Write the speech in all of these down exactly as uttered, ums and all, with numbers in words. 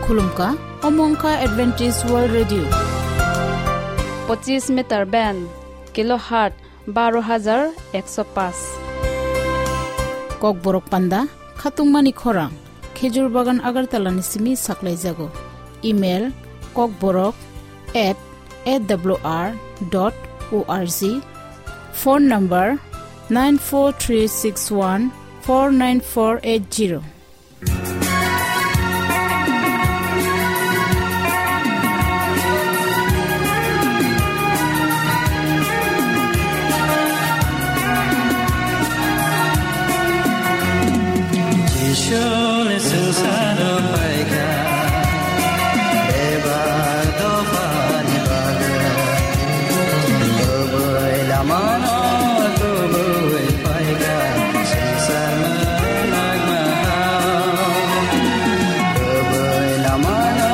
Khulumkha, omo wngkha Adventist World Radio. Pochis meter band, kilohertz baro hajar ekso paanch. Kokborok panda, khatungmani khorang, Khejur Bagan Agartala ni simi saklaijago. Email, kokborok at A W R dot O R G. Phone number, nine four three six one four nine four eight zero. Jisuni swngcharo phaikha, bebak dophani bagwi. Kubui lamano kubui phaikha, swngchar mwnakma hao. Kubui lamano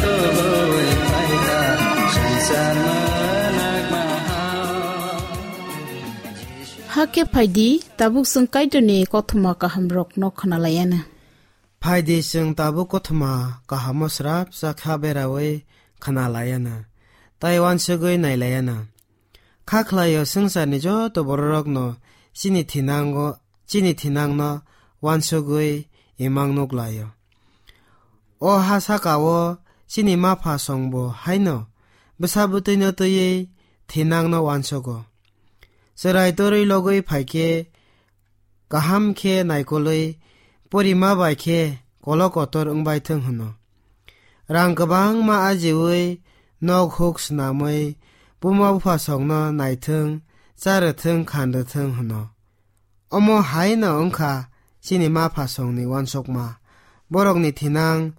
kubui phaikha, swngchar mwnakma hao. Hakhe phaidi, tabuk chwng Kaitorni kothoma kahamrokno khwnalayana. Phaidi, chwng tabuk kothoma kahamo srapsa kha beraui khwnalayana, tei uansugui nailayana. Kha khlaio, swngcharni joto bororokno chini thinango, chini thinangno uansugui imang nuklaio. O ha sakao chini mapha songbo haino bwsa bwtwino twiwi thinangno uansugo. Chwrai torwi logwi phaikhe kaham khe naikolwi porima bai khe kolok kotor wngbai thwng hwno. Rang kwbangma ajiui nok huk swnamwi buma bupha songno naithwng, charwthwng, khanrwthwng hwno. Omo hai no wngkha chini mapha songni uansukma, borokni thinang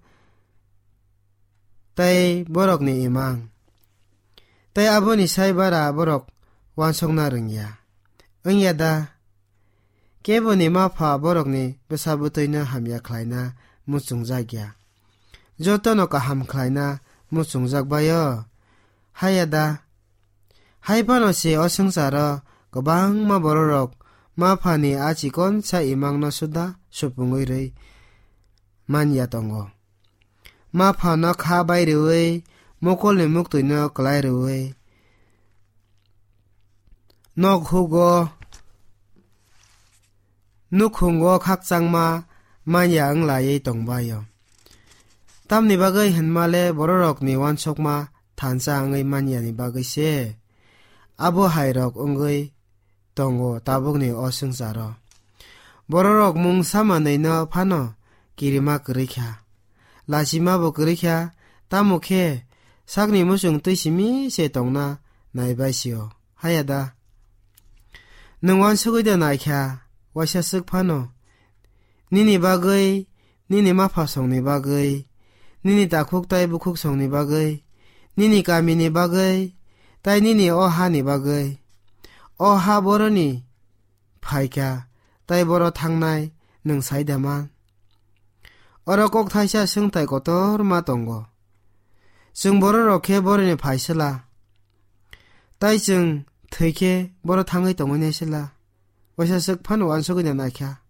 tei borokni imang. Tei aboni sai bara borok uansukna rwngya. Wngya da? Keboni mapha borokni bwsa bwtwino hamya khlaina muchungjak ya. Jotono kaham khlaina muchungjak bai-o. Haya da? Hai phano se o swngcharo kwbangma bororok maphani a chikonsa imangno suda supungwi rwi man ya tongo. Maphano kha bai rwui, mokolni muktwino kwlai rwui, nok hugo, nukhungo khakchangma manya wng laiwi tongbaio. Tamni bagwi hinmale bororokni uansukma thansa wngwi manyani bagwi se abo hairok wngwi tongo tabukni o swngcharo. Bororok mungsa manwino phano kirima kwrwi kha, lachima bo kwrwi kha, tamo khe sakni muchung twi simi se tongna naibai sio. Haya da? Nwng uansugwi da naikha, waisa swk phano? Nini bagwi, nini mapha songni bagwi, nini takhuk tai bukhuk songni bagwi, nini kamini bagwi, tai nini o hani bagwi. O ha boroni phaikha, tai boro thangnai, nwng sai da man? Oro kok thaisa swngthai kotorma tongo. Chwng bororok khe boroni phaisala, tai chwng thwikhe boro thangwi tongwi naisala. Waisa swk phano uansugwi da naikha.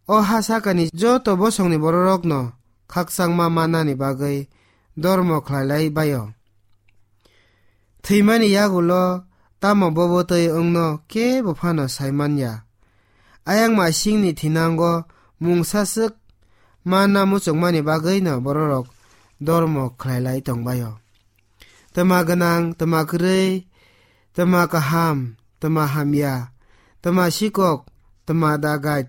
O ha sakani joto bosongni bororokno khakchangma mannani bagwi dormo khlailai bai-o. Thwimani yagulo tamo bobo twi wngno kebo phano sai man ya. Ayang masingni thinango mungsa swk manna muchungmani bagwino bororok dormo khlailai tongbai-o. Twma gwnang, twma kwrwi, twma kaham, twma hamya, twma sikok, twma dagait,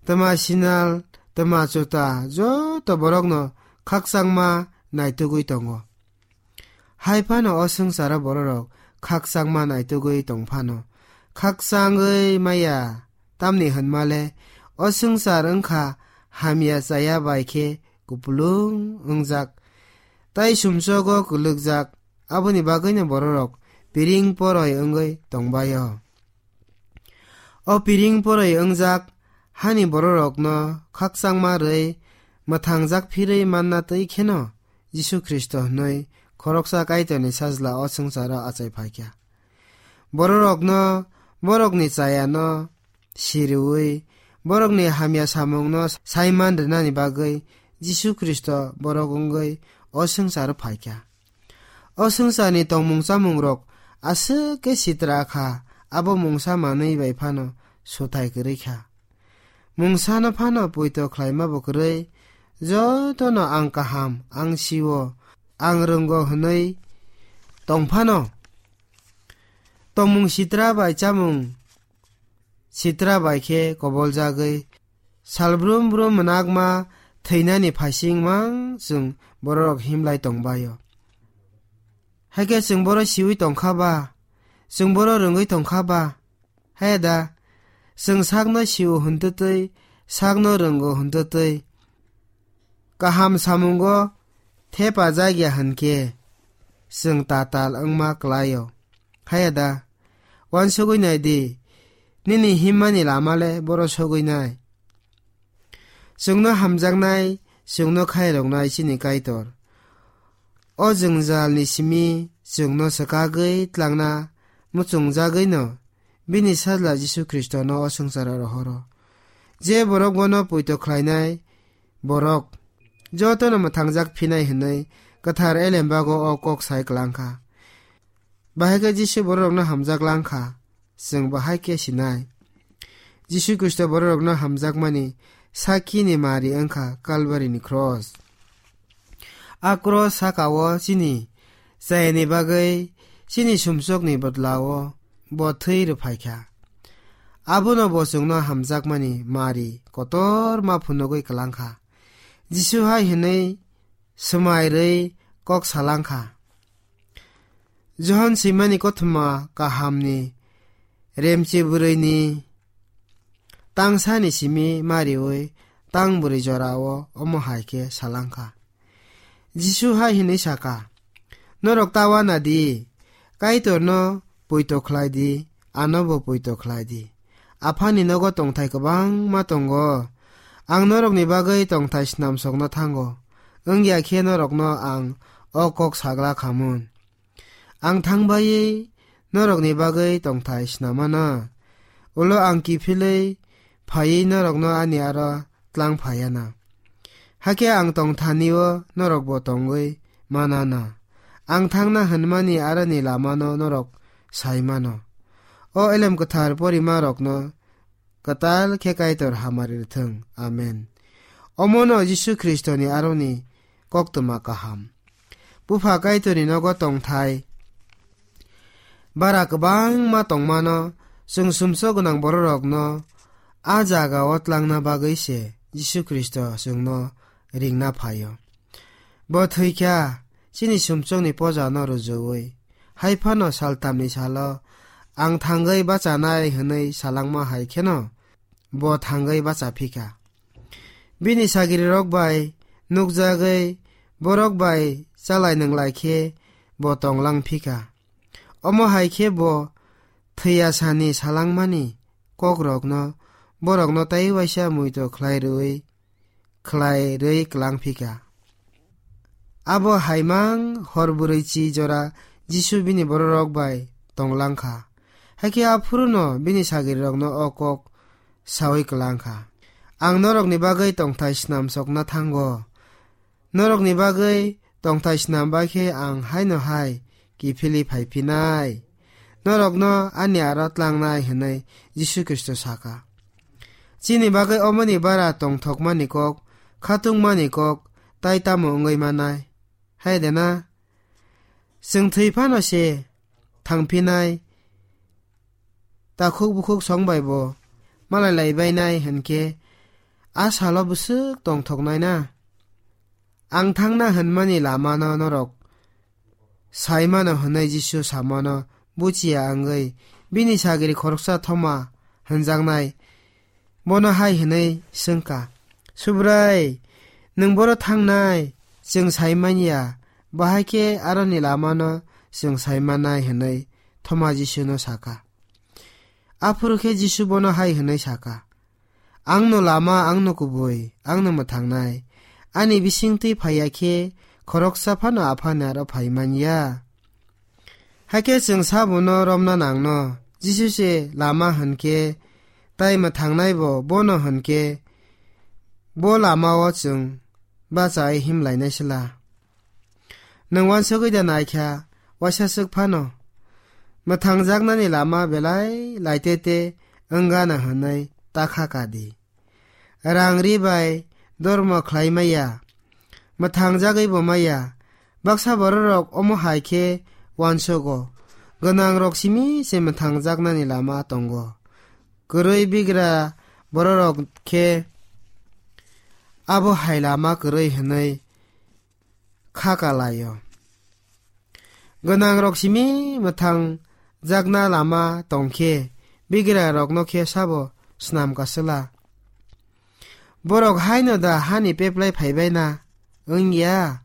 twma sinal, twma chuta, joto borokno khakchangma naitugwi tongo. Hai phano o swngcharo bororok khakchangma naitugwi tong phano, khakchangwi maya, tamni hwnmale o swngchar wngkha hamya chaya bai khe kupulung wngjak, tai sumsogo kwlwkjak, aboni bagwino bororok piring poroi wngwi tongbai-o. O piring poroi wngjak hani bororokno khakchangma rwi mwthangjak phirwi manna twi kheno Jisu Khristo hwnwi khoroksa Kaitorni Sajla o swngcharo achai phaikha. Bororokno borokni chayano siriui, borokni hamya samungno saiman rwnani bagwi Jisu Khristo borok wngwi o swngcharo phaikha. O swngcharni tongmung chamungrok aswk khe sitra kha, abo mungsa manwi bai phano suthai kwrwi kha. Mungsano phano poito khlaima bo kwrwi, jotono ang kaham, ang sio, ang rwngo hwnwi tong phano. Tongmung sitra bai chamung sitra bai khe koboljagwi, sal brum brum mwnakma thwinani phaising mang chwng bororok himlai tongbaio. Hakhe chwng boro siwi tongkha ba, chwng boro rwngwi tongkha ba, haya da, chwng sakno sio hwntwtwi, sakno rwngo hwntwtwi, kaham samungo thepa jakya hwnkhe, chwng tatal wngma kwlaio. Haya da, uansugwi nai di, nini himmani lama le boro sogwi nai. Chwngno hamjaknai, chwngno khairoknai chini Kaitor. O jwngjalni simi chwngno swkagwi tlangna muchungjagwino bini Sajla Jisu Khristono o swngcharo rohoro. Je borok bono poito khlainai borok jotono mwthangjak phinai hwnwi kwthar elembago o kok sai kwlangkha. Bahai khe Jisu bororokno hamjak langkha, chwng bo hai khe sinai. Jisu Khristo bororokno hamjakmani sakini mari wngkha Kalvarini cross. A cross saka-o chini chayani bagwi chini sumsokni bodla-o bo thwi rwphaikha. Abono bo chwngno hamjakmani mari kotorma phunugwi kwlangkha. Jisu hai hwnwi swmai rwi kok salangkha. Johon swimani kothoma kahamni remchi bwrwini tangsani simi mariwi tang bwrwi jorao omo hai khe salangkha. Jisu hai hwnwi saka, "Norok ta uana di, Kaitorno poito khlai di, anobo poito khlai di. Aphani nogo tongthai kwbangma tongo. Ang norokni bagwi tongthai snamsokna thango, wngya khe norokno ang o kok sagla khamun. Ang thangbai norokni bagwi tongthai snamana. Ulo ang kiphilwi phaiwi norokno ani aro tlang phaiana. Hakhe ang tongthanio norokbo tongwi manana. Ang thangna hwnmani aroni lamano norok sai mano." O elem kwthar porima rokno kwtal khe Kaitor hamari rwthwng. Amen. Omono Jisu Khristoni aroni koktwma kaham. Bupha Kaitorni nogo tongthai bara kwbangma tongmano, chwng sumsok gwnang bororokno a jagao tlangna bagwi se Jisu Khristo chwngno ringna phaio. Bo thwikha chini sumsokni pojano rwjwui. Hai phano saltamni salo ang thangwi bachanai hwnwi salangma hai kheno bo thangwi bacha phikha. Bini sagrirok bai nukjagwi borok bai chalai nwnglai khe bo tonglang phikha. Omo hai khe bo thwiyasani salangmani kokrokno borokno tai waisa muito khlai rwui, khlai rwi klang phikha. Abo haimang hor bwrwi chi jora Jisu bini bororok bai tonglang kha. Hakhe aphuruno bini sagrirokno o kok saui klang kha, "Ang norokni bagwi tongthai snamsokna thango. Norokni bagwi tongthai snam bai khe ang haino hai kiphilwi phai phinai. Norokno ani aro tlangnai," hwnwi Jisu Khristo saka. Chini bagwi omoni bara tongthokmani kok, khatungmani kok tai tamo wngwi manai? Hai de na? Chwng thwi phano se thangphinai, takhuk bukhuk song bai bo malai lai bainai hwn khe a salo bwswk tongthoknai na? Ang thangna hwnmani lamano norok sai mano hwnwi Jisu samano buchiya wngwi bini sagri khoroksa Thoma hwnjaknai bono hai hwnwi swng kha, "Subrai, nwng boro thangnai, chwng sai man ya, bahai khe aroni lamano chwng sai mannai," hwnwi Thoma Jisuno sa kha. Aphuru khe Jisu bono hai hwnwi sa kha, "Angno lama, angno kubui, angno mwthangnai. Ani bisingtwi phai ya khe khoroksa phano Aphani aro phai man ya. Hakhe chwng sabono romna nangno. Jisu se lama hwn khe, tai mwthangnaibo bono hwn khe, bo lamao chwng bachai himlainai sla. Nwng uansugwi da naikha, waisa swk phano mwthangjaknani lama belai laitete wngana hwnwi ta kha ka di. Rang ri bai dormo khlai maya, mwthangjagwi bo maya. Baksa bororok omo hai khe uansugo, gwnangrok simi se mwthangjaknani lama tongo. Kwrwi bigra bororok khe abo hai lama kwrwi hwnwi kha ka lai-o. Gwnangrok simi mwthang jakna lama tong khe, bigrarokno khe sabo snam ka sla? Borok haino da hani peplai phaibai na wng ya?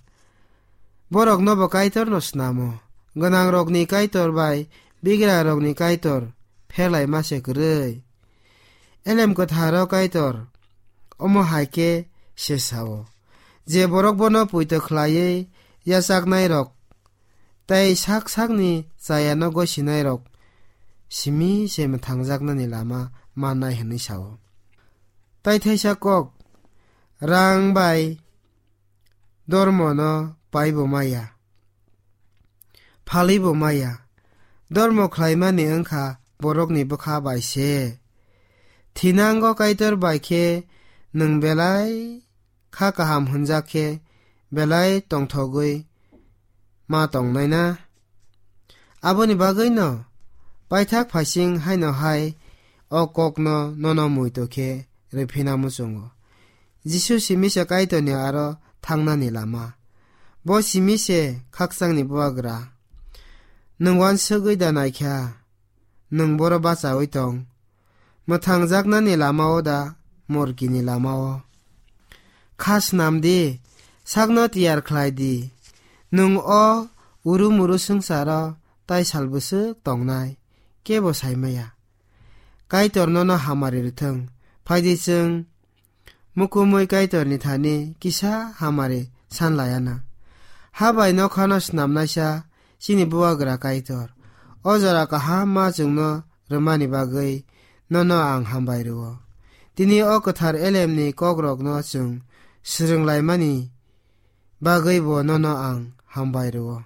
Borokno bo Kaitorno snamo. Gwnangrokni Kaitor bai bigrarokni Kaitor pherlai ma se kwrwi. Elem kwtharo Kaitor omo hai khe se sao, je borok bono poito khlaiwi yachaknairok tei sak sakni chayano gosinairok simi se mwthangjaknani lama mannai hwnwi sao. Tai thaisa kok, rang bai dormono paibo maya, phalibo maya. Dormo khlaimani wngkha borokni bwkha bai se. Thinango Kaitor bai khe nwng belai kha kaham hwnjak khe belai tongthogwi ma tongnai na? Aboni bagwino paithak phaising haino hai o kokno nono muitu khe rwphina muchungo. Jisu simi se Kaitorni aro thangnani lama. Bo simi se khakchangni bubagra. Nwng uansugwi da naikha, nwng boro bachaui tong. Mwthangjaknani lama-o da, morkini lama-o? Kha snam di, sakno tiyar khlai di. Nwng o uru muru swngcharo tai sal bwswk tongnai, kebo sai maya. Kaitor nono hamari rwthwng. Phai di, chwng mukumui Kaitorni thani kisa hamari san laiya na. Ha bai nokhano snamnaisa chini bubagra Kaitor. O jora kaham ma chwngno rwmani bagwi nono ang hambai rwo. Tini o kwthar elemni kokrokno chwng swrwng laimani bagwi bo nono ang hambai rwo.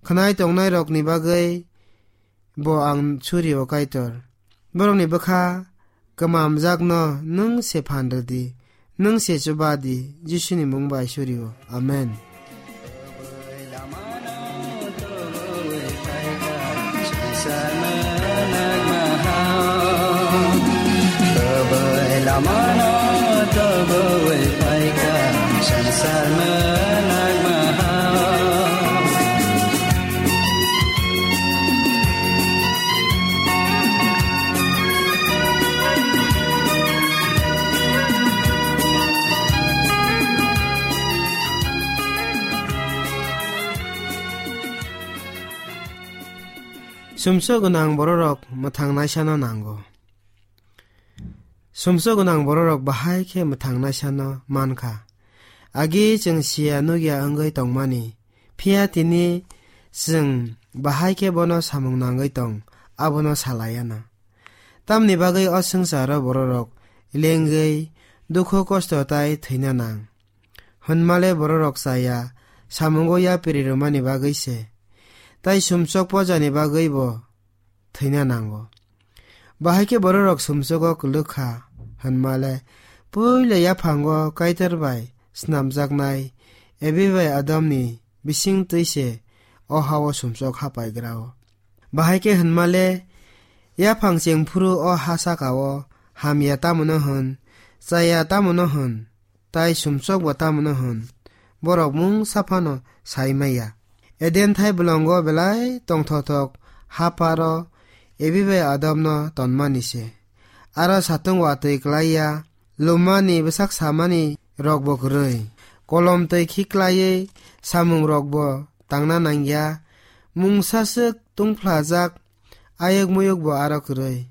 Khwnai tongnairokni bagwi bo ang suri o Kaitor. Borokni bwkha kwmamjakno nwng se phan rw di, nwng se chuba di, Jisuni mung bai suri o. Amen. Sumsok gwnang bororok mwthang naisano nango. Sumsok gwnang bororok bahai khe mwthang naisano mankha. Agi chwng siya nukya wngwi tongmani, phiya tini chwng bahai khe bono samung nangwi tong, abono salaiya na. Tamni bagwi o swngcharo bororok lengwi dukhu kosto tai thwina nang. Hwnmale bororok chaya samungo yapri rwmani bagwi se, tai sumsok pojani bagwi bo thwina nango. Bahai khe bororok sumsogo kwlwk kha hwnmale, puila yaphango Kaitor bai snamjaknai Evi bai Adamni bising twi se o ha-o sumsok hapai gra-o. Bahai khe hwnmale, yaphang chengphuru o ha saka-o hamya tamo no hwn, chaya tamo no hwn, tai sumsok bo tamo no hwn, borok mungsa phano sai maya. Eden thai bolongo belai tongthokthok ha pharo Evi bai Adamno tonmani se. Aro satung watwi klai ya, lumani bwsak samani rok bo kwrwi, kolom twi khiklaiwi samung rok bo tangna nangya, mungsa swk tungphlajak ayuk muyuk bo aro kwrwi.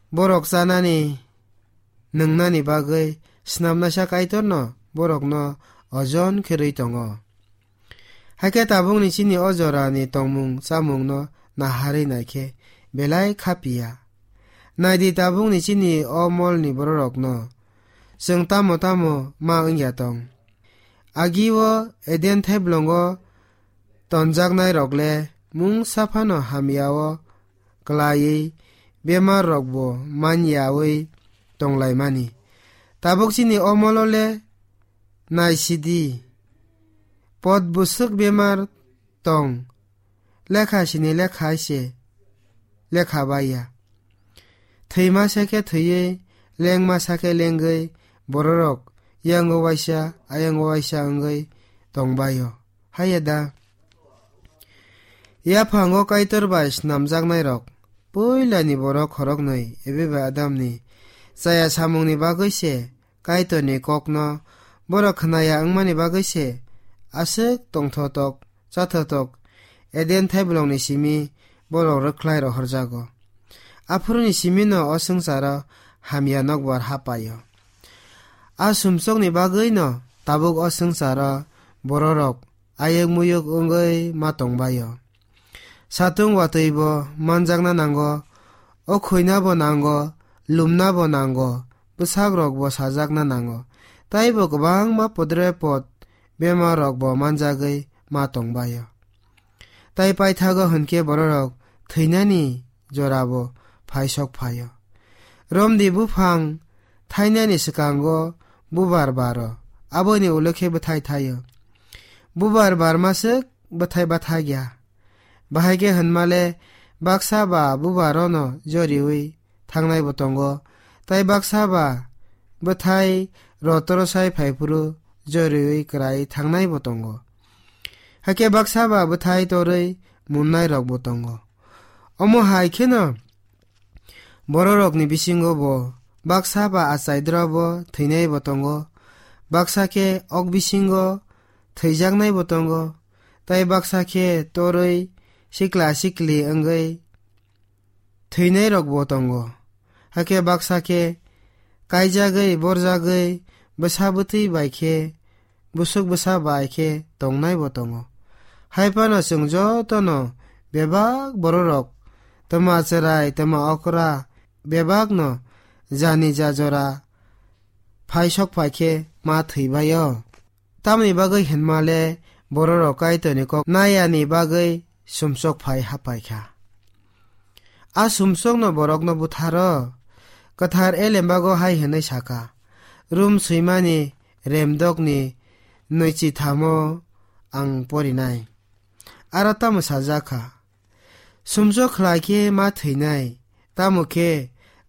Borok chanani nwngnani bagwi snamnaisa Kaitorno borokno ojon kherwi tongo. Hakhe tabukni chini o jorani tongmung chamungno naharwi naikhe belai kha piya. Naidi tabukni chini o molni bororokno chwng tamo tamo ma wngya tong. Agi-o Eden thaiblongo tonjaknairok le mungsa phano hamya-o klaiwi bemar rokbo manyawi tonglaimani. Tabuk chini omolo le naisidi, pot bwswk bemar tong, lekha sini lekha hai se lekha baiya. Thwima sa khe thwiwi, lengma sa khe lengwi, bororok yango waisa, ayango waisa wngwi tongbaio. Haiya da? Yaphango Kaitor bai snamjaknairok, puilani borok khoroknwi, ebe bai Adamni chaya samungni bagwi se, Kaitorni kokno borok khnaya wngmani bagwi se, aswk tongthotok, chathotok, Eden thaiblongni simi borok rwkhlai rohorjago. Aphuruni simino o swngcharo hamya nokbar hapaio. A sumsokni bagwino tabuk o swngcharo bororok ayuk muyuk wngwi ma tongbaio. Satung watwibo manjakna nango, o khuinabo nango, lumnabo nango, bwsakrokbo sajakna nango, taibo kwbangma podre pod bemarrokbo manjagwi ma tongbaio. Tai paithago hwnkhe bororok thwinani jorabo phaisok phaio. Romdi buphang thainani swkango bubar baro, aboni ulo khe bwthai thaio. Bubar barmaswk bwthai bathagya. Bahai khe hwnmale baksa ba bubarono joriwi thangnaibo tongo, tai baksa ba bwthai rotoro sai phaiphuru joriwi kwrai thangnaibo tongo. Hakhe baksa ba bwthai torwi munnairokbo tongo. Omo hai kheno bororokni bisingo bo baksa ba achai drobo thwinaibo tongo, baksa khe ok bisingo thwijaknaibo tongo, tai baksa khe torwi sikla sikli wngwi thwinairokbo tongo. Hakhe baksa khe kaijagwi, borjagwi, bwsa bwtwi bai khe, bwswk bwsa bai khe tongnaibo tongo. Hai phano chwng jotono bebak bororok, twma chwrai, twma okra, bebakno jani ja jora phaisok phai khe ma thwibaio. Tamni bagwi hwnmale bororok Kaitorni kok nayani bagwi sumsok phai hapaikha. A sumsokno borokno butharo. Kwthar Elembago hai hwnwi saka, "Rum swimani remdokni nwichithamo ang porinai. Aro tamo sajak kha? Sumsok khlai khe ma thwinai, tamo khe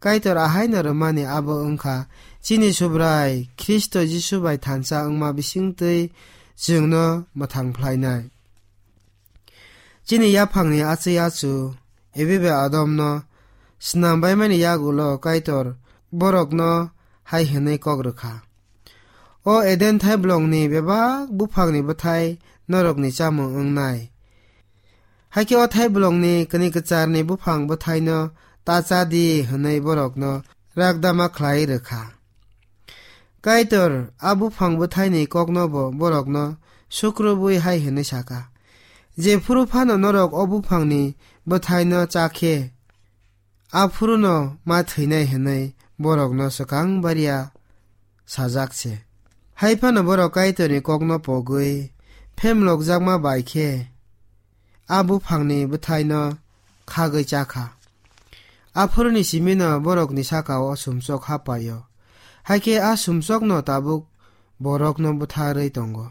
Kaitor ahaino rwmani abo wngkha, chini Subrai Khristo Jisu bai thansa wngma bisingtwi chwngno mwthang phlainai." Chini yaphangni achai achu, ebe bai Adomno snam baimani yagulo Kaitor borokno hai hwnwi kok rwkha, "O Eden thaiblongni bebak buphangni bwthai norokni chamung wngnai. Hakhe o thaiblongni kni kwcharni buphang bwthaino ta cha di," hwnwi borokno rakdama khlai rwkha. Kaitor a buphang bwthaini koknobo borokno sukrubwi hai hwnwi saka, "Jephuru phano norok o buphangni bwthaino cha khe, aphuruno ma thwinai," hwnwi borokno swkang baria sajak se. Hai phano borok Kaitorni kokno pogwi phemlokjakma bai khe a buphangni bwthaino khagwi cha kha. Aphuruni simino borokni saka-o sumsok hapaio. Hakhe a sumsokno tabuk borokno butharwi tongo.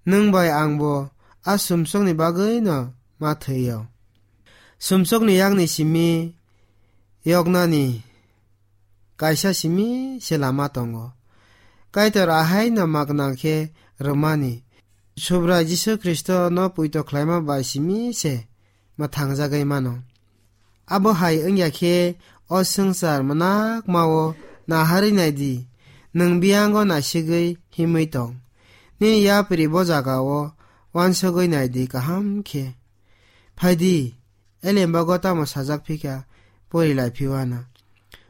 Nwng bai angbo a sumsokni bagwino ma thwio. Sumsokni yakni simi yoknani kaisa simi se lama tongo. Kaitor ahaino magna khe rwmani, Subrai Jisu Khristono poito khlaima bai simi se mwthangjagwi mano. Abo hai wngya khe o swngchar mwnakma-o naharwi nai di, nwng biyango naisigwi himwi tong. Nini yapri bo jaga-o uansugwi nai di kaham khe. Phai di, Elembago tamo sajak phi kha, pori lai phi uana.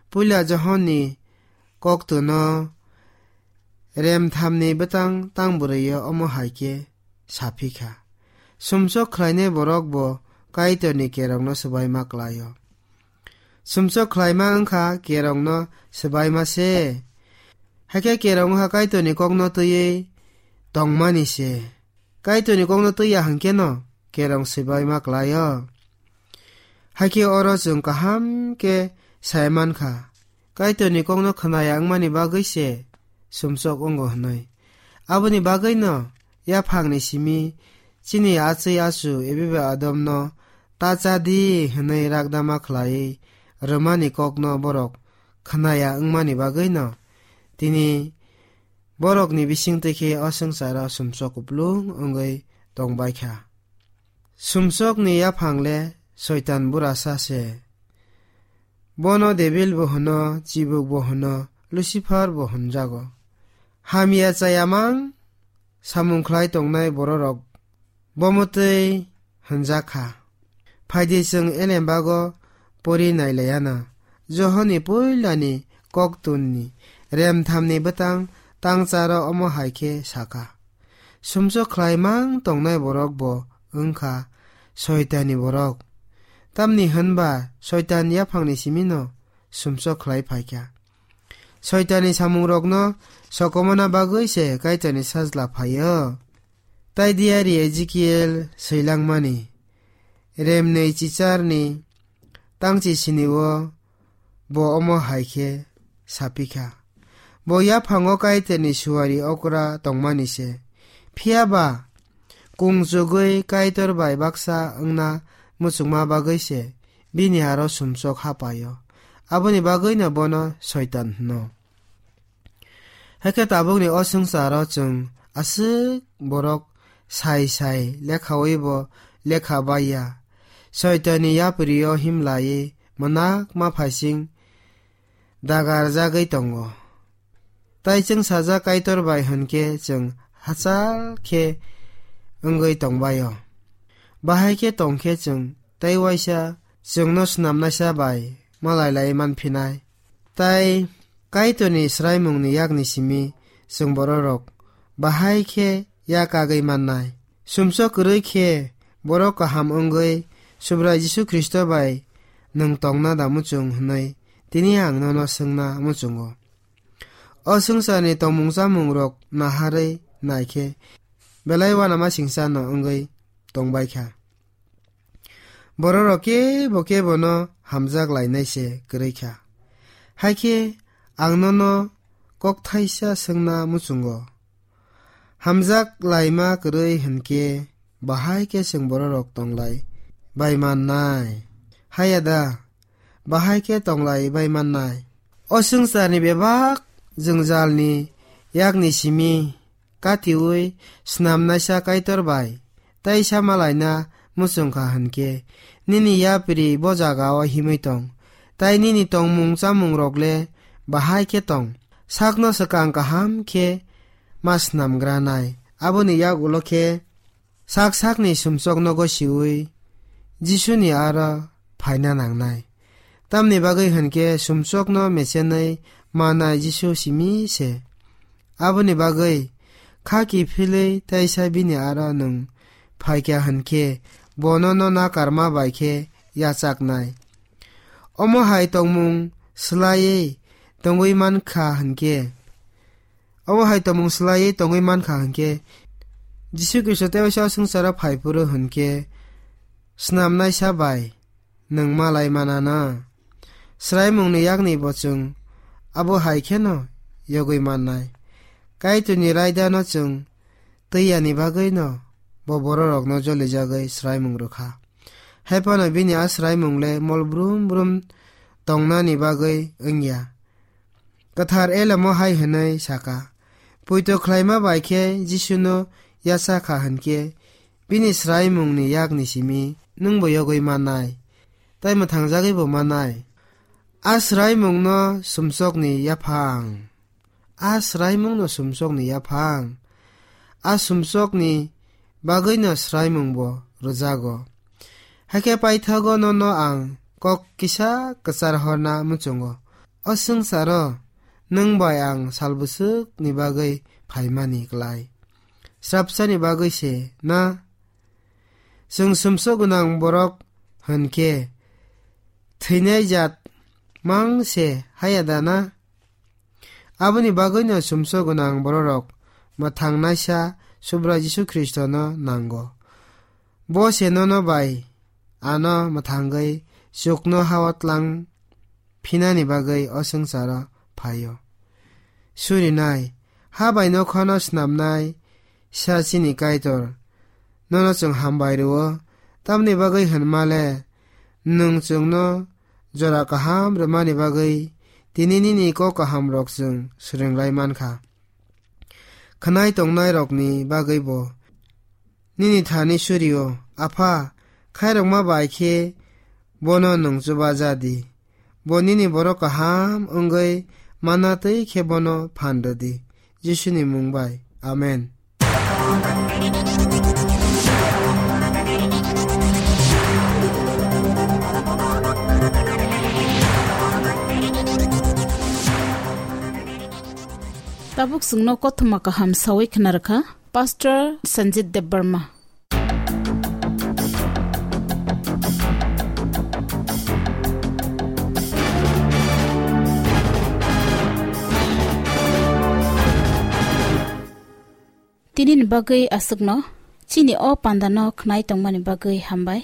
Puila Johonni koktwno remthamni bwtang tang bwrwi-o omo hai khe sa phi kha, sumsok khlainai borok bo Kaitorni kerongno swbaima klai-o. Sumsok khlaima wng kha kerongno swbaima se. Hakhe kerong wng kha Kaitorni kokno twiwi tongmani se. Kaitorni kokno twi ya hwnkhe no kerong swbaima kwlaio. Hakhe oro chwng kaham khe sai mankha, Kaitorni kokno khwnaya wngmani bagwi se sumsok wngo hwnwi. Aboni bagwino yaphangni simi chini achwi achu Eve bai Adomno ta cha di hwnwi rakdama khlaiwi rwmani kokno borok khwnaya wngmani bagwino tini borokni bisingtwi khe o swngcharo sumsok kuplung wngwi tongbaikha. Sumsokni yaphang le Soitan burasa se. Bono Debil bo hwno, Chibuk bo hwno, Lucifer bo hwnjago. Hamya chayamang samung khlai tongnai bororok bomotwi hwnjak kha. Phaidi chwng elembago pori nailayana. Johonni puilani koktunni remthamni bwtang tangcharo omo hai khe sakha, sumsok khlaimang tongnai borok bo wngkha Soitanni borok. Tamni hwnba Soitan yaphangni simino sumsok khlai phaikha. Soitanni samungrokno sokomona bagwi se Kaitorni sajla phaio. Tai diari Ezekiel swilangmani, remnwi chicharni tangchi sinio bo omo hai khe sapikha. Bo yaphango Kaitorni suari okra tongmani se. Phiya ba kung chugwi Kaitor bai baksa wngna muchungma bagwi se bini aro sumsok hapaio. Aboni bagwino bono Soitan hwno. Hakhe tabukni o swngcharo chwng aswk borok sai sai lekhawi bo lekha baiya. Soitanni yaprio himlaiwi mwnak ma phaising dagarjagwi tongo. Tai chwng sajak Kaitor bai hwnkhe chwng hachal khe wngwi tongbaio. Bahai khe tongkhe chwng tai waisa chwngno snamnaisa bai malai lai manphinai. Tai Kaitorni swraimungni yakni simi chwng bororok bahai khe yak kagwi mannai. Sumsok kwrwi khe borok kaham wngwi Subrai Jisu Khristo bai nwng tongna da muchung hwnwi tini ang nono swngna muchungo. O swngcharni tongmung chamungrok naharwi naikhe belai uanamasingcha no wngwi tongbaikha. Bororok kebo kebono hamjak lainai se kwrwi kha. Hakhe ang nono kokthaisa swngna muchungo. Hamjak laima kwrwi hwnkhe bahai khe chwng bororok tonglai bai mannai? Haya da, bahai khe tonglai bai mannai. O swngcharni bebak jwngjalni yakni simi katiui snamnaisa Kaitor bai taisa malaina muchungkha hwnkhe, nini yapri bo jagao himwi tong, tai nini tongmung chamungrok le bahai khe tong. Sakno swkang kaham khe ma snamgranai. Aboni yak ulo khe sak sakni sumsokno gosiui Jisuni aro phaina nangnai. Tamni bagwi hwnkhe sumsokno mechenwi manai Jisu simi se. Aboni bagwi kha kiphilwi taisa bini aro nwng phaikha hwnkhe bono no nakarma bai khe yachaknai. Omo hai tongmung swlaiwi tongwi mankha hwnkhe, omo hai tongmung swlaiwi tongwi mankha hwnkhe, Jisu Khristo tei waisa swngcharo phai phuru hwnkhe snamnaisa bai nwng malai manana. Swraimungni yakni bo chwng abo hai kheno yogwi mannai. Kaitorni raidano chwng twiyani bagwino bo bororokno jolijagwi swraimung rwkha. Hai phano bini a swraimung le mol brum brum tongnani bagwi wngya. Kwthar Elamo hai hwnwi saka, poito khlaima bai khe Jisuno yacha kha hwnkhe, bini swraimungni yakni simi nwngbo yogwi mannai, tai mwthangjagwibo mannai. A swraimungno sumsokni yaphang. A swraimungno sumsokni yaphang. A sumsokni bagwino swraimungbo rwjago. Hakhe paithago nono ang kok kisa kwchar horna muchungo. O swngcharo nwng bai ang salbwswkni bagwi phaimani klai. Srapsani bagwi se na? Chwng sumsok gwnang borok hwnkhe thwinai jat mang se haya da na? Aboni bagwino sumsok gwnang bororok mwthangnaisa Subrai Jisu Khristono nango. Bo se nono bai ano mwthangwi chukno hao tlang phinani bagwi o swngcharo phaio. Surinai, ha bai nokhano snamnai sa chini Kaitor, nono chwng hambai rwo, tamni bagwi hwnmale nwng chwngno jora kaham rwmani bagwi tini nini kok kahamrok chwng swrwng lai mankha. Khwnai tongnairokni bagwi bo nini thani surio, Apha, khairokma bai khe bono nwng chuba ja di. Bo nini borok kaham wngwi manna twi khe bono phan rw di. Jisuni mung bai. Amen. Tabuk chwngno kothoma kaham sawi khna rwkha Pastor Sanjit Debbarma. Tinini bagwi aswkno, chini o pandano khnai tongmani bagwi hambai.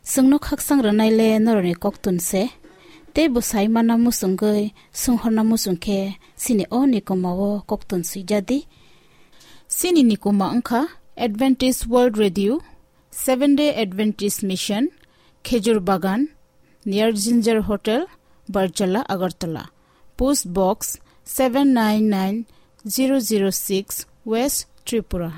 Chwngno khaksang rwnaile norokni koktun se, tei bwsai manna muchungwi, swnghorna muchung khe chini o nikomao koktun swijadi. Chini nikoma wngkha Adventist World Radio, Seventh Day Adventist Mission, Khejur Bagan, near Ginger Hotel, Barjala, Agartala. Post Box seven nine nine zero zero six, West Tripura.